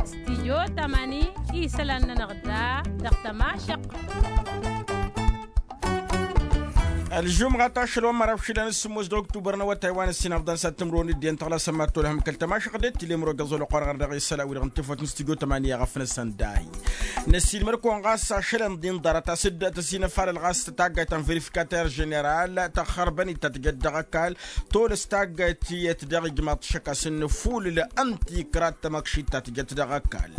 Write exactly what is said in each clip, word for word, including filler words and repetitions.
Stidyo tămani isălan-nănăɣ da dăɣ-tămašăq. Ălžumɣa tašăl wa n-măraw išilan s-sǝmmos d-oktubăr n-awătay wa n-ǝssin ăbḍan s-ad-tǝmrǝwăn d-iyyăn tăɣlasăn mad-tolhăm kăl-tămašăq d-ettǝlem rogăẓ wăla oqor ɣăr dăɣ-isălan wi-dăɣ n-tefăt n-stidyo tămani i-aɣăfnăsăn day. Năssiilmăr-kăwăn ɣas ašălăn d-inḍarăt a-s dd-tăsinăfalăl ɣas taggayt ta n-verifikatăr ženeral tăxxărbăn-dd ta tǝjăt dăɣ-ăkall tolăs taggayt tiyyăt dăɣ-ijmaḍ šăkasăn n-afulǝl n-tikra d-tamăkšit ta tǝjăt dăɣ-ăkall.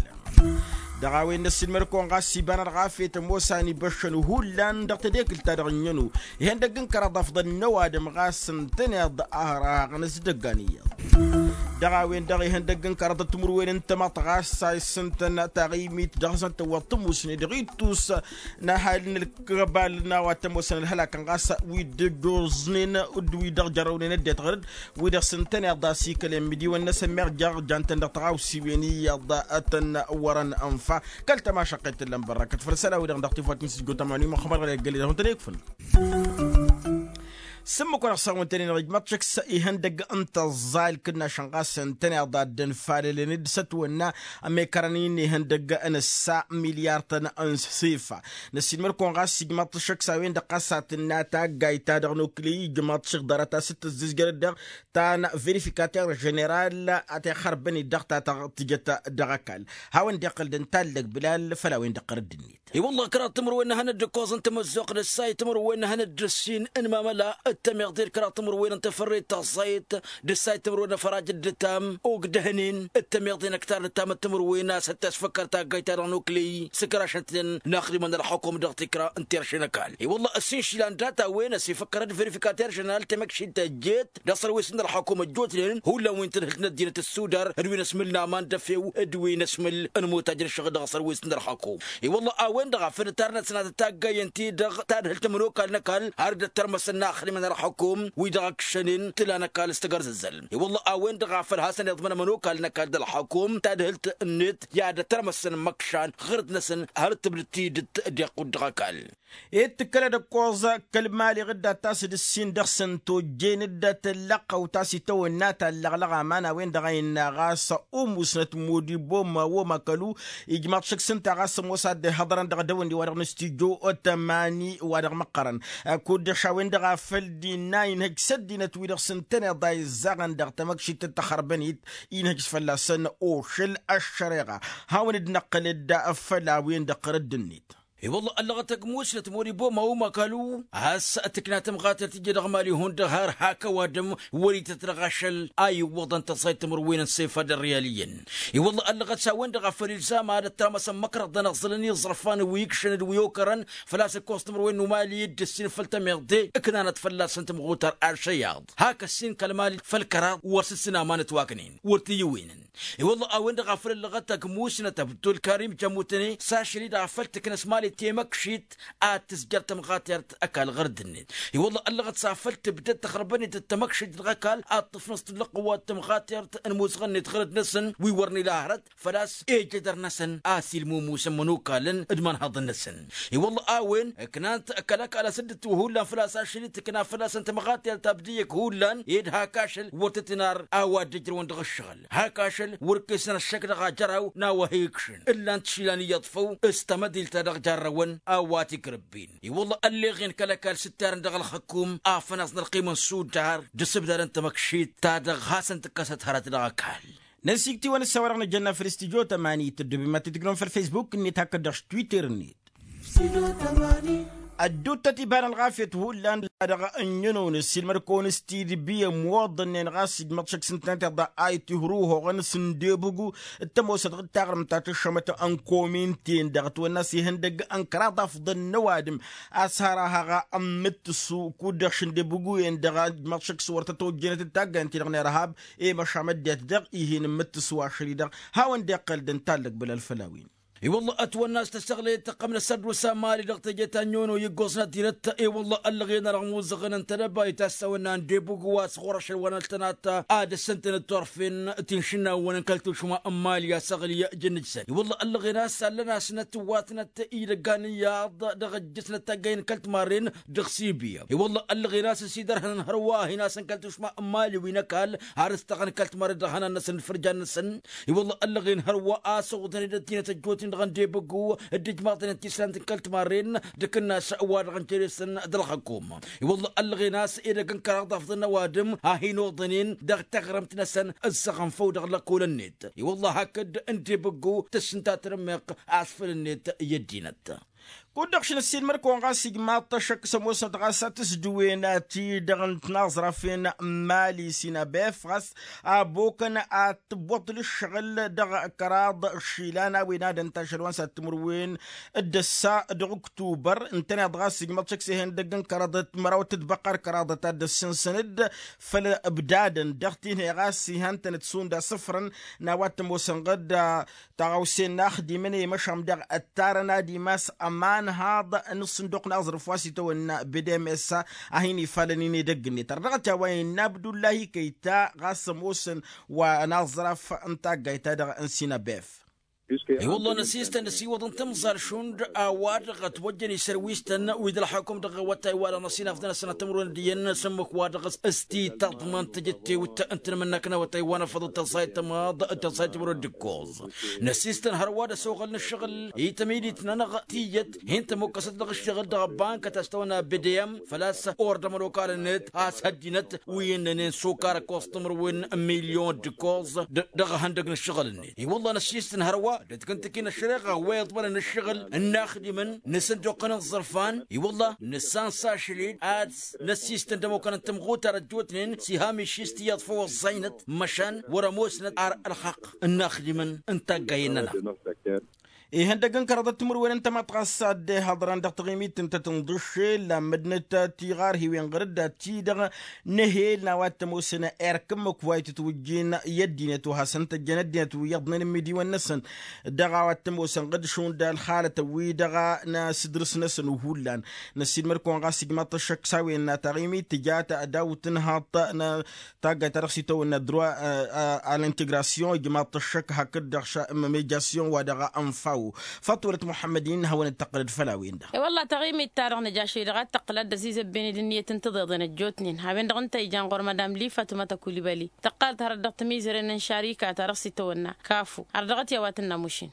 Dăɣ-a-wen năssiilmăr-kăwăn ɣas ibanăt ɣafet ămoos a n-ibăššăn hullan dăɣ-tedekǝlt-ta-dăɣ ǝnniyăn-u ihăndăgg n-kăraḍ afḍăn n-ăwadǝm ɣas ǝntăneḍ a hărhaɣăn s-dăggan iyyăḍ. Dăɣ-a-wen-dăɣ ihăndăgg n-kăraḍ timǝrwen n-tamăḍt ɣas a issǝntăn taɣimit dăɣ-hasăn tăwwăḍ tămusne dăɣ-ittus n-ahal n-ălkăbal n-a-wa t-ămoosăn ălhălakăn ɣas wi dd-ăjjoẓnen d-wi-dăɣ jărrăwnen ăddinăt ɣăr-dd wi-dăɣ s-ǝntăneḍ a-s ikăl i-ămmidiwăn-năsăn meɣ jer-jan-tăn dăɣ-tăɣawsiwen iyyăḍ tăn-wărăn ănfa. Kăl-tămašăqqet tǝllăm bărrăkăt făll-isălan-wi-dăɣ dăɣ-tifawt n-sǝjjo tămani măxxămăr ɣăr eggăled ad-hutăn ikfǝn. S-ǝmmǝk-wa-dăɣ s-a-wen-tăn-in-dăɣ ijmaḍ-t šăks ihăndăgg n-tăẓẓay ǝlkǝnnašăn ɣas ǝntăneḍ a dd-ănfalălăn d-sătwănna ămekărăn-in ihăndăgg n-ǝssa milyar-tăn n-sifa. Năssiilmăr-kăwăn ɣas ijmaḍ-t šăks a-wen-dăɣ ɣas a tǝnna taggayt-ta-dăɣ n-okǝley ijmaḍ-t šăkk ḍarăt a-s t-tǝzzǝzjăr-dd dăɣ-ta n-verifikatăr ženeral a t-ixărbăn-dd dăɣ-ta-dăɣ tǝjăt dăɣ-ăkall. Hawăn-dd-iqqăl d-ǝntallăg bǝlal făll-a-wen-dăɣ ɣărădd-net. I-wălla kăraḍ timǝrwen n-ehănăt d-ǝkkoẓ n-tamăzzuɣt d-ǝssay timǝrwen n-ehănăt d-ǝssin n-imamăla d-tămiḍe d-kăraḍ timǝrwen n-tafărret taẓẓayt d-ǝssay timǝrwen n-afăraj d-ǝtam ogdăhnen d-tămiḍe n-ăktar d-ǝtam d-timǝrwen a-s ăttas făkkăr taggayt-ta-dăɣ n-oklăy s-ǝkrašăn-ten n-axdimăn ălxukum dăɣ-tikra n-terše n-ăkall. I-wălla ăssin išilan data-wen a-s ifăkkăr d-verifikatăr ženeral temăkšit tăjjet dăɣ-sărwes n-ălxukum ăjjootnen hullan wi n-tadhǝlt n-ăddinăt ăssudar d-wi n-ăsmǝl n-aman d-efew d-wi n-ăsmǝl n-imutaj n-ǝššăɣǝl dăɣ-sărwes n-ălxukum. I-wălla a-wen-dăɣ a făl ǝtarnăt s-nat ătaggayăn-ti-dăɣ tadhǝlt n-ămănokal n-ăkall har dd-ăttărmăsăn n-axdimăn ălxukum wi dăɣ-ǝkšănen tǝla n-ăkall s-tagărzăzzăl. I-wălla a-wen-dăɣ a făl hasăn-iḍmăn ămănokal n-ăkall d-ălxukum tadhǝlt-net i-ad-ăttărmăsăn măkšan ɣǝrǝd-năsăn har tǝbdǝd tidǝt d-iqqud dăɣ-ăkall. Ed tǝkkălăd ăkkoẓ kăl-mali ɣǝdda ta s-dd-ǝssin dăɣ-săn tojjen dd-tăllăqqăw ta s-itawănna tallăɣlăɣ aman a-wen-dăɣ a innă ɣas umusnăt modibo ma wom akălu. Ijmaḍ šăkk s-ǝnta ɣas ămoos ad-dd-ihăḍărăn dăɣ-dăwănni wa dăɣ-nǝstijjo tămani wa dăɣ-măqqărăn. Kud-dăɣ š-a-wen-dăɣ a făl dd-innă inhăj s-ăddinăt wi-dăɣ s-ǝntăneḍ a izzaɣăn dăɣ-tamăkšit d-taxărbănit inhăj fălla-săn ošăl ăššăreɣa. Hawăn-dd-năqqǝl-dd făll-a-wen-dăɣ ɣărădd-net. I-wălla ăllăɣăt ăgg musnăt moribo ma umakalu a-s tǝkna tămɣatert tǝjje dăɣ-mali hundăɣ har hak ăwadǝm wăr-ităt dăɣ-ašăl a iwwăḍăn tăẓẓayt timǝrwen n-sifa d-ărriyal iyyăn. I-wălla ăllăɣăt s-a-wen-dăɣ a făl ilzam ad-ătramăsăn măkrăḍăn ăẓẓălăn iẓrăfan wi ǝkšăn d-wi okărăn făl-a-s ǝkkoẓ timǝrwen n-umali dd-ǝssin făll-tămiḍe ǝknanăt fălla-săn tămɣutar ašăyaḍ hak ăssin kăl-mali făll-kăraḍ wăr s-ǝssin aman ătwaknen wăr t-iyyăwenen. I-wălla a-wen-dăɣ a făl ăllăɣăt ăgg musnăt abdulkarim jămutăne s-ašăl-i-dăɣ a făl tǝknăs mali temăkšit ad-tǝzjăr tămɣatert ăkall ɣăr dd-net. I-wălla ăllăɣăt s-a făl tǝbdăd taxărbănit d-tamăkšit dăɣ-ăkall ad-tǝfnăẓ tǝllăɣ qăwwa d-tămɣatert n-musɣăn-net ɣăr dd-năsăn wi wăr n-ila hărăt făl-a-s ejădăr-năsăn a-s ilmumusăn mănokalăn d-imănhăḍăn-năsăn. I-wălla a-wen ǝknan-t kăl-ăkall a-s dd-ǝtwăhullan făl-a-s ašăl-i tǝkna făl-a-săn tămɣatert abdǝyyăk hullan ed hak ašăl wăr tăt-inar a-wa dd-ǝjrăwăn dăɣ-ǝššăɣǝl hak ašăl wăr ǝkkesăn ăššăk dăɣ-ajăraw n-a-wa he-ikšǝn ǝllan-t išilan iyyăḍ făw s-tamădilt ta dăɣ-jarrăwăn a-wa t-ikrǝbbin. I-wălla ălleɣen kăl-ăkall s-ǝttarăn dăɣ-ălxăkum afănaẓ n-ălqim n-sudar d-asǝbdad n-tamăkšit ta dăɣ-hasăn-tǝkkăsăt hărăt dăɣ-ăkall. Năsikt'-iwăn ǝssa wa dăɣ-nǝjănna făll-studyo tămani tăddobem ad-t-tǝjrăwăn făll-facebook-net hakd-dăɣ s-twitter-net. Ădduuttăt iba n-ălɣafyăt hullan la dăɣ-ănnănăwăn ăssiilmăd-kăwăn s-tidbi ămwăḍănnen ɣas ijmăḍ šăkk s-ǝntănăt iḍa a itihruhoɣăn s-ǝndebǝgu d-tămoosăt ɣǝd taɣrǝmt ta tǝššămăt n-komin-ten dăɣ-ătwănna s-ihăndăgg n-kăraḍ afḍăn n-ăwadǝm a-s har a haɣa ǝmmǝttǝsu kud-dăɣ šǝndebǝgu-en-dăɣ ijmăḍ šăkk s-wăr tăt-ojjănăt d-taggayăn-ti-dăɣ n-irhab i-măšam ăddinăt dăɣ-ih'-in ǝmmǝttǝsu ašăl-i-dăɣ. Hawăn-dd-iqqăl d-ǝntallăg bǝlal făll-a-wen. I-wălla ătwănna a-s tăsăɣlăyăt tăqqăm n-asărdus amali dăɣ-teje ta n-iono i-ǝggoẓ n-ăddinăt. I-wălla ăllăɣen ărmuzăɣăn ăntănăba i-tassawănna n-debug wa s-ɣur-ašăl wa n-ăltănat ad-ăssintăn d-turfen ti n-išǝnnawăn n-kăl-tušma n-mali asăɣli jăn-ǝjsăn. I-wălla ăllăɣen a-s allăn-asnăt ǝwwatnăt idăggan iyyăḍ dăɣ-ǝjjǝsnăt taggayen kăl-timarren dăɣ-sibiya. I-wălla ăllăɣen a-s ăsidărhănăn hărwa a hin-asăn kăl-tušma n-mali wi n-ăkall har ǝstăɣăn kăl-timarren dăɣ-ihănan-năsăn d-ifărjan-năsăn. I-wălla ăllăɣen hărwa a-s ăwwătăn-dd ăddinăt ăjjootnen dăɣ-ăndebăggu d-ijmaḍnen tislant n-kăl-timarren d-akǝnnas wa-dăɣ n-teresăn d-ălxăkum. I-wălla ăllăɣen a-s edăgg n-kăraḍ afḍăn n-ăwadǝm a hin-oḍănen dăɣ-taɣrǝmt-năsăn ǝssăɣăn făw dăɣ-lăkol-net. I-wălla hakd ǝndebăggu tǝssǝnta tărǝmmeɣt asfăl-net i-ăddinăt. Kud-dăɣ šăn ăssiilmăr-kăwăn ɣas ijmaḍ-t ăššăk s-ămoosnăt ɣas a tǝsdǝwen ti-dăɣ n-tinaẓrafen n-mali sinabef ɣas abokăn ad-tǝbbuḍ l-ǝššăɣǝl dăɣ-kăraḍ išilan a-wen ad-ănta ašăl wa n-sat timǝrwen d-ăssa dăɣ-ǝktubăr. Ǝntăneḍ ɣas ijmaḍ-t šăkk s-ehăn dăgg n-kăraḍăt măraw tǝtbăqqar kăraḍăt ad-dd-ăssinsăn-dd făll-ǝbdadăn dăɣ-tinhăy ɣas ihăn-tănăt šund asǝfrăn n-a-wa t-ămoosăn ɣǝd taɣăwse n-inaxdimăn i-măšan dăɣ-ăttarăn ad-imas ămanhaḍ n-ǝṣṣǝnduq n-aẓrǝf wa s-itawănna n-abdms a hin-ifalăn inedăgg-net ărdăɣăt i-a-wa innă abdullahi kăyta ɣas ămoosăn wa n-aẓraf n-taggayt-ta-dăɣ n-sinabef. I-wălla năsistăn ăsiwăḍăn timẓal šund a-wa-dăɣ ătwăjjăn isărwistăn wi d-ălxakum dăɣ-awătay-wa-dăɣ n-ăsinafḍăn asănatămrun d-iyyăn n-asǝmmǝk-wa-dăɣ s-tităḍmăn tǝjǝttewt ǝntănămănnakăn awătay wa n-afăḍăt tăẓẓayt tămaḍ d-tăẓẓayt timǝrwen d-ǝkkoẓ. Năsistăn hărwa d-ăsoɣăl n-ǝššăɣǝl i-tămidit-nănăɣ tiyyăt hin-tămokkăsăt dăɣ-ǝššăɣǝl dăɣ-ăbbank a tasătawănna bdm făl-a-s ordăm ălokal-net a-s hăddinăt wi ǝnnănen s-okar ǝkkoẓ timǝrwen n-milyon d-ǝkkoẓ dăɣ-ihăndăg n-ǝššăɣǝl-net. I-wălla năsistăn hărwa d-tǝkǝntǝki n-ăššăreɣa wa iḍmărăn ǝššăɣǝl n-inaxdimăn n-asǝnduq n-aẓrǝfan. I-wălla nǝssan s-ašăl-dd ad-s năsistăn d-ămukăn n-tămɣutar ăjjootnen s-iham išist iyyăḍ făw ăẓẓaynăt măšan wăr-ămoosnăt ar ălxaqq n-inaxdimăn n-taggayen-nănăɣ. Ihăndăg n-kăraḍăt timǝrwen n-tămaḍt ɣas a dd-ihăḍrăn dăɣ-taɣimit n-tăt-inḍǝššel lammădnăt tiɣarhiwen ɣur-dd ad-t-dăɣ n-ehel n-a-wa t-ămoosăn erk ǝmmǝk wa itǝtwǝjjin i-ăddinăt wa hasăn-tăjjăn ăddinăt wi iyyăḍnen n-imidiwăn-năsăn dăɣ-a-wa t-ămoosăn ɣǝd šund ălxalătăn-wi-dăɣ n-asǝdrǝs-năsăn hullan. Năssiilmăr-kăwăn ɣas ijmaḍ-t ăššăk s-a-wen n-ataɣimit tǝja ta dawt-tǝnhaḍt n-taggayt-ta-dăɣ s-itawănna droit a l-integrasyon ijmaḍ-t ăššăk hakd-dăɣ ša m-mejasyon wa dăɣ-ănfaw. Faṭwălăt muḥămmăd-in hawăn-dd-tăqqǝlăd făll-a-wen-dăɣ. E-wălla taɣimit-ta-dăɣ nǝja šăy-dăɣ ad-tăqqǝl ad-dd-ăzizăbben-dd ǝnniyăt n-tiḍeḍen ăjjootnen a-wen-dăɣ ǝnta ijan ɣur-madam lifatuma tăkulibali tăqqalăt hărăt dăɣ-tamiizăren n-šarika-ta-dăɣ s-itawănna kafu har dăɣ-t i-a-wa tǝnna mušin.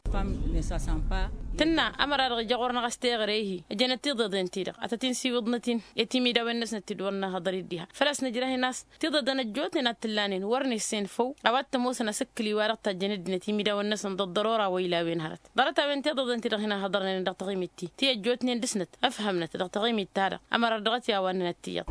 Tǝnna ămăra-dăɣ ija ɣur-năɣ a-s teɣăre-hi ǝjănăt tiḍeḍen-ti-dăɣ ad-tăt-in-siwǝḍnăt-in i-timidawen-năsnăt ti d-wăr năhăḍăr-dd diha făl-a-s nǝjrah-in a-s tiḍeḍen ăjjootnen ad-t-ǝllanen wăr nǝssen făw a-wa t-ămoosăn asǝkkǝl-i-wa-dăɣ tajjăn ăddinăt imidawen-năsăn d-ăḍḍărora wa ila a-wen hărăt. Ḍarăt-a-wen tiḍeḍen-ti-dăɣ hin-ăhhăḍărnen dăɣ-taɣimit-ti ti ăjjootnen dăɣ-snăt ǝfhămnăt dăɣ-taɣimit-ta-dăɣ ămăra-dăɣ dăɣ-t i-a-wa ǝnnănăt tiyyăḍ.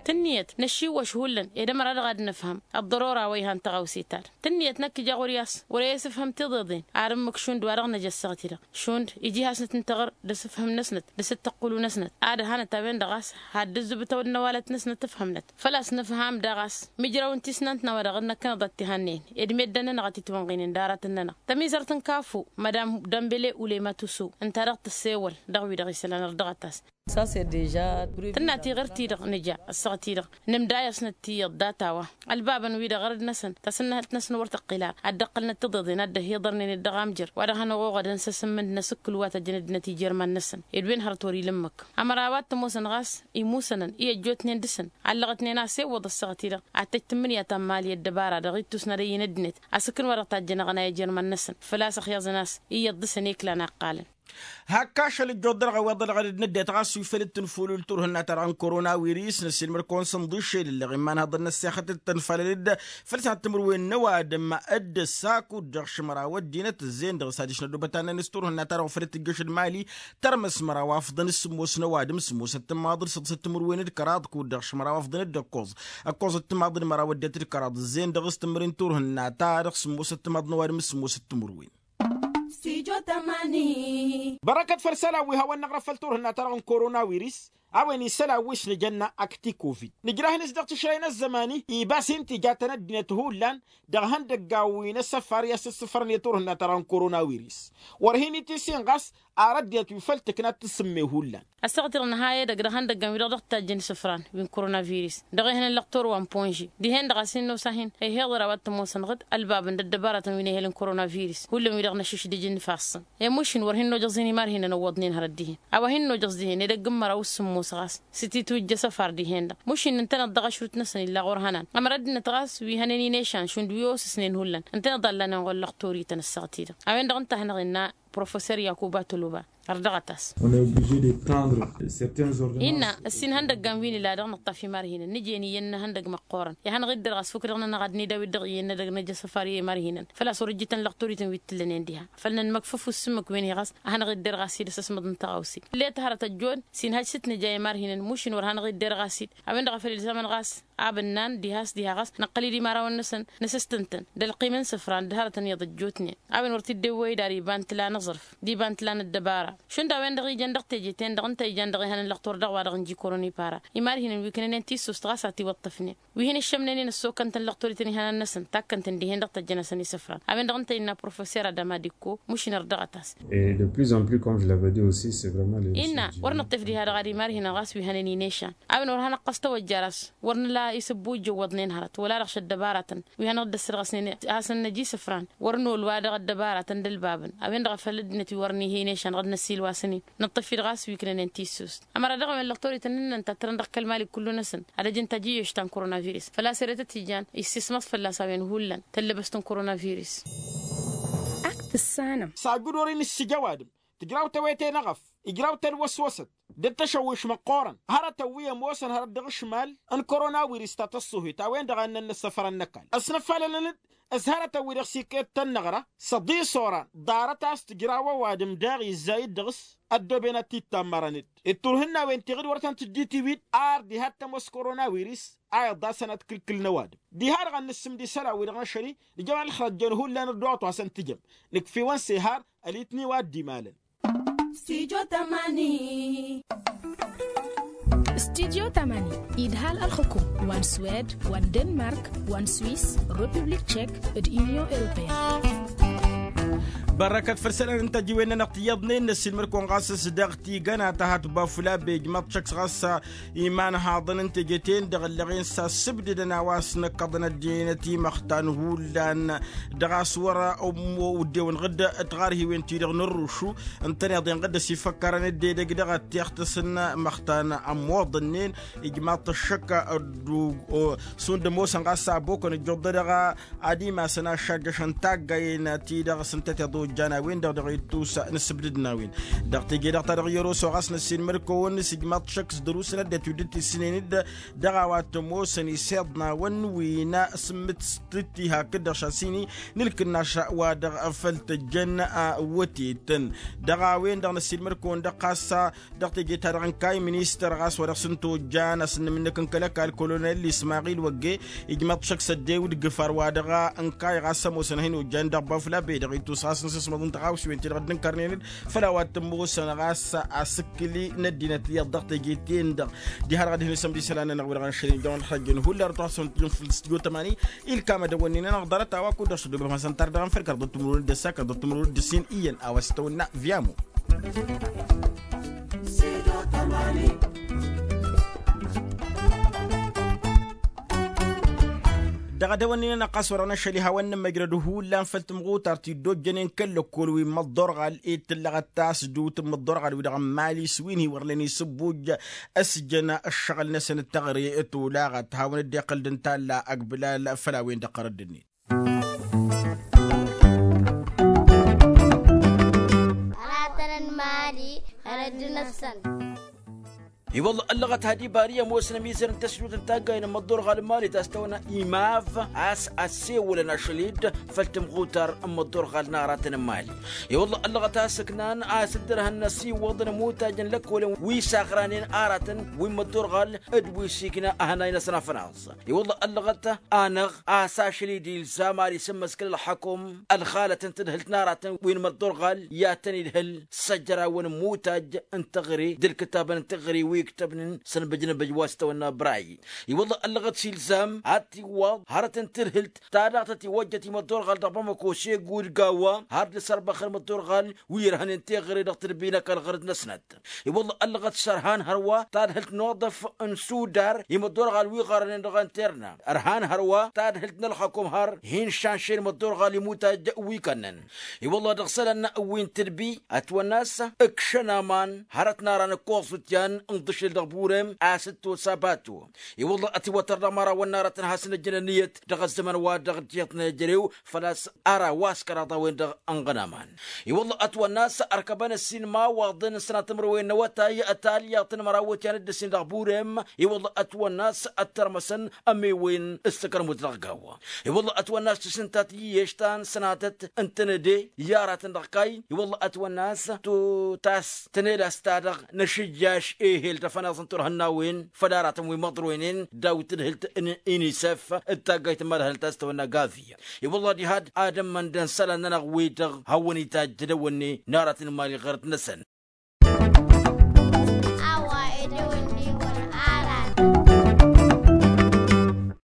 Tǝnniyăt năššiwwăš hullan ed ămăra-dăɣ ad-nǝfhăm ăḍḍărora wa ihan tăɣawse-ta-dăɣ. Tǝnniyăt năkk ija ɣur-i a-s wăr-e ăsǝfhǝm tiḍeḍen ar ǝmmǝk šund wa dăɣ-năj ăssaɣt-i-dăɣ šund iji hasnăt n-taɣăr d-asǝfhǝm-năsnăt d-asǝttăqqǝlu-năsnăt ad-hanăt a-wen-dăɣ a-s hadd-ǝzzǝbǝtăw d-năwalăt-năsnăt ǝfhǝmnăt. Făl-a-s nǝfham daɣ a-s mijraw n-tisnant n-a-wa dăɣ-năkkăneḍ ad-t-ihănnen ed meddǝn-nănăɣ a t-itwănɣinen d-aratăn-nănăɣ. Tămizărt n-kafu madam dămbele ulăyma tusu ǝnta-dăɣ tăssewăl dăɣ-wi-dăɣ isălan ărdăɣăt-as. Tǝnna tiɣǝrt-i-dăɣ nǝja ăssaɣt-i-dăɣ nǝmdayăsnăt tiyyăḍ data-wa ălbabăn-wi-dăɣ ărăd-năsăn tasǝnnăhălt-năsăn wăr tăqqǝl ara ad-dd-ăqqǝlnăt tiḍeḍen a dd-ăhiḍărnen d-dăɣ-amjăr wa dăɣ-hanăɣ-oɣădăn s-asǝmmǝnd n-asǝkkǝl wa tăjjăn ăddinăt ijirman-năsăn. Ed wen hărăt wăr-ila ǝmmǝk ămăra a-wa t-ămoosăn ɣas imusănăn i-ăjjootnen dăɣ-săn allăɣătnen a-s ewwăḍ ăssaɣt-i-dăɣ ad-tăj tǝmmǝnǝya ta n-mali ăddăbara dăɣ-ittus n-ad-ăyy n-ăddinăt asǝkkǝn wa dăɣ-tajjăn aɣăna i-ijirman-năsăn. Făl-a-s ăxyaẓăn a-s iyyăḍ dăɣ-săn i-kǝla n-aqqalăn. Hak ašăl ǝjjuḍ-dăɣ a-wa dăɣ-dd-năddăyăt ɣas wi făl dd-tǝnfulǝl turhǝnna-ta-dăɣ n-korona wirǝs năssiilmăr-kăwăn s-ǝnḍǝšel ǝlleɣ iman haḍăn n-ăssexăt d-tănfalăl-dd făl s-ad-tǝmǝrwen n-ăwadǝm. D-ăssakut dăɣ-šǝmăraw ăddinăt ǝzzeyăn dăɣ-s adiš n-ăddubăt annăn s-turhǝnna-ta-dăɣ făl dd-tǝjjăš d-mali tărmăs măraw afḍăn s-sǝmmos n-ăwadǝm sǝmmos ăttămaḍ d-săḍǝs ăttămǝrwen d-kăraḍ kud-dăɣ šǝmăraw afḍăn d-ǝkkoẓ ǝkkoẓ ăttămaḍ d-măraw ăddinăt d-kăraḍ ǝzzeyăn dăɣ-s tǝmmǝrwen turhǝnna-ta-dăɣ sǝmmos ăttămaḍ n-ăwadǝm s-sǝmmos ăttămǝrwen. Bărăkăt făll-isălan wi hawăn-năɣrăf făll-turhǝnna-ta-dăɣ n-korona wirǝs. a-wen isălan wi s-nǝjănna. Akti covid nǝjrah-nǝs dăɣ-tišrăy n-ăzzăman-i ibas-in tijatăn ăddinăt hullan dăɣ-ihăndăggan wi n-asăfar i-asǝssǝfrăn i-turhǝnna ta dăɣ-n koronawiris. Wăr hin-itisin ɣas ar ăddinăt wi făll-tǝkna ad-t-sǝmme hullan. Ăssaɣăt-i-dăɣ nǝha edăgg dăɣ-ihăndăggăn-wi-dăɣ dăɣ-tajjăn isǝfran wi n-koronaviris dăɣ-ehăn n-lăqtor wa n-ponži. Dihen-dăɣ a-s hin-nosa-hin ăyheḍăr a-wa t-ămoosănăɣ-dd ălbabăn d-ăddăbaratăn wi n-ehel n-koronaviris hullan-wi-dăɣ n-ašǝšdǝj n-ifassăn. E-mušin wăr hin-nojăẓ-in imarhinăn ăwwăḍnen hărăt dihen a-wa hin-nojăẓ dihen edăgg n-măra u-sǝmmos ɣas s-titwǝjj asăfar dihen-dăɣ. Mušin ǝntăneḍ dăɣ-ašrut-năsăn illa ɣur-hănan ămăra ăddinăt ɣas wi hănen-in ešan šund wi osǝsnen hullan ǝntăneḍ a ǝllanen ɣur-lăqtorităn ăssaɣăt-i-dăɣ. A-wen-dăɣ ǝnta a hanăɣ-innă professor yakuba toloba. Ărdăɣăt-as. Innă ăssin ihăndăggan wi nǝla dăɣ-nǝṭṭaf imarhinăn nǝjen iyyăn n-ihăndăgg măqqoorăn. Ihănăɣ-dd dăr-ɣas fukk-dăɣ-nănăɣ ad-nidawit dăɣ-iyyăn n-edăgg n-ejăsăfar i-imarhinăn făl-a-s wăr ǝjjǝtăn lăqtorităn wi t-tǝllănen diha. Făl nǝnmăkfăf u-ǝssǝmmǝk wen-hi ɣas ad-hanăɣ-dd-derɣ a-s idăs ăsmăḍ n-taɣawse. Llet hărăt ăjjood s-inhăj s-t-nǝja i-imarhinăn mušin wăr hanăɣ-dd-derɣ a-s-dd. A-wen-dăɣ a făl ilzămăn ɣas abǝnnan diha a-s diha ɣas năqqăl-dd imărawăn-năsăn nǝsǝstǝntăn d-ălqim n-isǝfran d-hărătăn iyyăḍ ăjjootnen. A-wen wăr t-dd-ewwăy d-ar iba n-tǝla n-aẓrǝf d-iba n-tǝla n-ăddăbara. Šund a-wen-dăɣ ijăn dăɣ-teje-ten-dăɣ ǝnta ijăn dăɣ-ehăn n-lăqtor dăɣ-wa-dăɣ n-jikorăn ipara. Imarhinăn wi ǝknănen tissost ɣas a tiwăṭṭăfnen wi hin-ǝššămnen-in ăssokăn-tăn lăqtor-i tăn-ihănan-năsăn takkăn-tăn dihen dăɣ-tăjjăn-asăn isǝfran. A-wen-dăɣ ǝnta innă professor adăma d-ikko mušin ărdăɣăt-as. Innă wăr nǝṭṭef diha-dăɣ ad-imarhinăn ɣas wi hănen-in ešan. A-wen wăr hanăɣ-ɣas tawăjjar a-s wăr nǝla isǝbbu ijăwwăḍnen hărăt wăla-dăɣ šăddăbaratăn wi hanăɣ-dd-ăssărɣăsnen a hasăn-năj isǝfran. Wăr nolwa dăɣ-ăddăbaratăn d-ălbabăn. A-wen-dăɣ a făl ăddinăt wi wăr nihăy n-ešan dăɣ-năssiilwasăn-in năṭṭăf-dd ɣas wi ǝknănen tissost. Ămăra dăɣ-a-wen lăqtorităn-nănănta tărăn dăɣ-kăl-mali kullu-năsăn ad-ăj n-tajǝyyoš ta n-koronavirus făl-a-s ere tăt-ijan issǝsmăḍ fălla-s a-wen hullan tăllăbăst n-koronavirus. Ak tǝssanăm. S-ajud wăr-inǝssǝj ăwadǝm tǝjraw tewete n-eɣăf ijraw tălwăswăsăt d-ăttăšăwwiš măqqoorăn. Hărătăn wi ămoosăn hărăt dăɣ-ašmal n-koronavirus ta tăṣṣuhit a-wen-dăɣ a ǝnnăn n-ăssăfărăn n-ăkall ăsnăfalălăn-dd s-hărătăn wi dăɣ-s ikket tăn-năɣra. S-ăḍisoran ḍarăt a-s tǝjraw ăwadǝm daɣ izzay-dd dăɣ-s ăddooben ad-t-id-tammărăn-dd. Dd-turhǝnnawen tiɣǝd wăr tăn-tǝjjǝy tiwit ar diha t-ămoos koronavirus a iḍasăn ad-kǝlkǝlăn ăwadǝm. Diha-dăɣ ad-nǝssǝmd isălan-wi-dăɣ n-ašăl-i nǝjămăn ǝlxăr ăjjoon hullan ăddoɣăt wa s-ăntǝjăm. Nǝkf'-iwăn s-ehar ălitni wa dd-imalăn. Studio tamani idhal ălxǝkum wa n-swed wa n-denmark wa n-swiss, republik tchek d-union europeen. Bărrăkăt făll-isălan n-tăjiwen-nănăɣ tiyyăḍnen n-ăssiilmăd-kăwăn ɣas s-dăɣ tigăna ta hatba fula be ijmaḍ-t šăkk ɣas imanhaḍăn n-teje-ten-dăɣ ǝllăɣen s-assǝbdǝdăn a-wa s-năkkăḍăn ăddinăt imăxtan hullan. Dăɣ-a-s wăr-ămmo wǝdden-wăn ɣǝdd tɣarhiwen-ti-dăɣ n-ărrušu ǝntăneḍ-en ɣǝdd ăsifăkkarăn dd-edăgg dăɣ-ăttixtǝs n-imăxtan ămmoḍănnen. Ijmaḍ-t ăššăk. Šund ămoosăn ɣas abokăn ǝjjuḍ-dăɣ ad-imasăn aššajjăšăn taggayen-ti-dăɣ s-ǝntăteḍ ojjan a-wen-dăɣ dăɣ-ittus n-ǝssǝbdǝd n-a-wen. Dăɣ-teje-dăɣ ta dăɣ-i ăroso ɣas n-ăssiilmăd-kăwăn s-ijmaḍ-t šăkk s-dăr-usăn ăddinăt wi dd-tisǝnen-dd dăɣ-a-wa t-ămoosăn iseḍnawen wi n-asǝmmǝt s-tǝtti hakd-dăɣ šasini n-ǝlkǝnnaš wa dăɣ-făl tăjjăn. Wătetăn dăɣ-a-wen-dăɣ n-ăssiilmăd-kăwăn-dăɣ ɣas dăɣ-teje-ta-dăɣ ǝnkay ministăr ɣas wa dăɣ-s n-tojjan a-s ǝnnǝmǝnnǝk n-kăl-ăkall kolonel ismaɣil wăgge. Ijmăḍ šăkk s-ăddewǝd gǝfar wa dăɣ-ǝnkay ɣas ămoosăn a hin-ojjan dăɣ-bafla be dăɣ-ittus ɣas n-sǝsmăḍ n-tăɣawsiwen-ti-dăɣ dd-ǝnkărnen-dd făll-a-wa t-ămoosăn ɣas asǝkkǝli n-ăddinăt iyyăḍ dăɣ-teje-ten-dăɣ. Diha-dăɣ ad-hin-isămd isălan-nănăɣ wi-dăɣ n-ašăl-in jăwăn ălxăjjăn hullan ătwasăn tijǝn făll-studio tamani. Ilkam ad-ăwănnin-anăɣ ḍarăt a-wa kud-dăɣ s-ăddoobem hasăn-tar dăɣ-anfăl kăraḍăt timǝrwen d-ăssa kăraḍăt timǝrwen d-ǝssin iyyăn a-wa s-tăwănna viamo. Dăɣ-ad-ăwănnin-anăɣ ɣas wăr-anăšăl ihawăn n-ămmăjrăd hullan făll-tǝmɣutar ti dd-ojjănen kăl-lăkkol wi n-imǝḍḍorɣal ed tǝllăɣăt tasdut n-imǝḍḍorɣal wi-dăɣ n-imali s-wi n-hi-wăr nen isǝbbuj. Ăsjăn ǝššăɣǝl-năsăn d-teɣăre tolaɣăt hawăn-dd-iqqǝl d-intalla ăgbǝlal făll-a-wen-dăɣ qărădd-net. Aratăn n-imali hărăt d-năfsăn. I-wălla ăllăɣăt had-ibar i-ămoosăn ămizăr n-tăsdut n-taggayen n-imǝḍḍorɣal n-imali ta s-tăwănna imav a-s ăssewălăn ašăl-dd făll-tǝmɣutar n-imǝḍḍorɣal n-aratăn n-imali. I-wălla ăllăɣăt a-s ǝknan a-s dd-ărhăn n-asiwăḍăn imutajăn lăkkolăn wi s-aɣranen aratăn wi n-imǝḍḍorɣal d-wi s-ikna ahănay-năsăn afănaẓ. I-wălla ăllăɣăt anăɣ a-s ašăl-i d-ilzam ar isǝmmăskăl ălxăkum ălxalăt n-tadhǝlt n-aratăn wi n-imǝḍḍorɣal i-ad-tăn-idhǝl s-ăjrawăn n-imutaj n-teɣăre d-ǝlkǝtabăn n-teɣăre wi. iktăbnen s-ănbăjnăbăj wa s-tăwănna bray. I-wălla ăllăɣăt s-ilzam ad-t-iwwaḍ hărăt n-tǝrhǝlt ta dăɣ-tăt-iwăjjăt i-măḍḍorɣal dăɣ-bamăko s-egud gawa har d-asărbăxăl măḍḍorɣal wi irhănen teɣăre dăɣ-tǝdbinăk ălɣărăt-năsnăt. I-wălla ăllăɣăt s-ărhan hărwa tadhǝlt n-oḍăf n-sudar i-măḍḍorɣal wi ɣărănen dăɣ-interna. Ărhan hărwa tadhǝlt n-ălxăkom har hin-šanšăyăn măḍḍorɣal imutaj wi kănnăn. I-wălla dăɣ-isălan wi n-tǝdbi ătwănna a-s ǝkšăn aman hărăt n-ara n-ǝkkoẓ utyan n-iḍǝšel dăɣ-burem a-s ǝtto s-abato. I-wălla ătiwătăr dăɣ-imărawăn n-ara tăn-hasăn-ăjjăn ănniyăt dăɣ-ăzzăman wa dăɣ-tiyyăḍ n-ejărew făl-a-s ara wa s-kăraḍ a-wen-dăɣ ănɣănaman. I-wălla ătwănna a-s ărkăbăn ăssin imawaḍăn n-sănatămrăwen n-awătay ătalyaḍt n-măraw wătyan dd-ăssin dăɣ-burem. I-wălla ătwănna a-s ăttărmăsăn ămewăyăn s-tăkărmut dăɣ-gawa. I-wălla ătwănna a-s tǝsǝntat iyyeš ta n-sănatăt n-tănăde i-aratăn dăɣ-kayy. I-wălla ătwănna a-s tutas tănelas-ta-dăɣ n-ašǝjjaš ehel tăfănaẓ n-turhǝnnawen făll-aratăn wi măḍroynen daw-tǝdhǝlt n-inisef d-taggayt n-imadhălăn ta s-tăwănna gavi. I-wălla diha-dd ad-ǝmmăndăn isălan-nănăɣ wi-dăɣ hawăn-itajj d-ewănne n-aratăn n-imali ɣărăt-năsăn.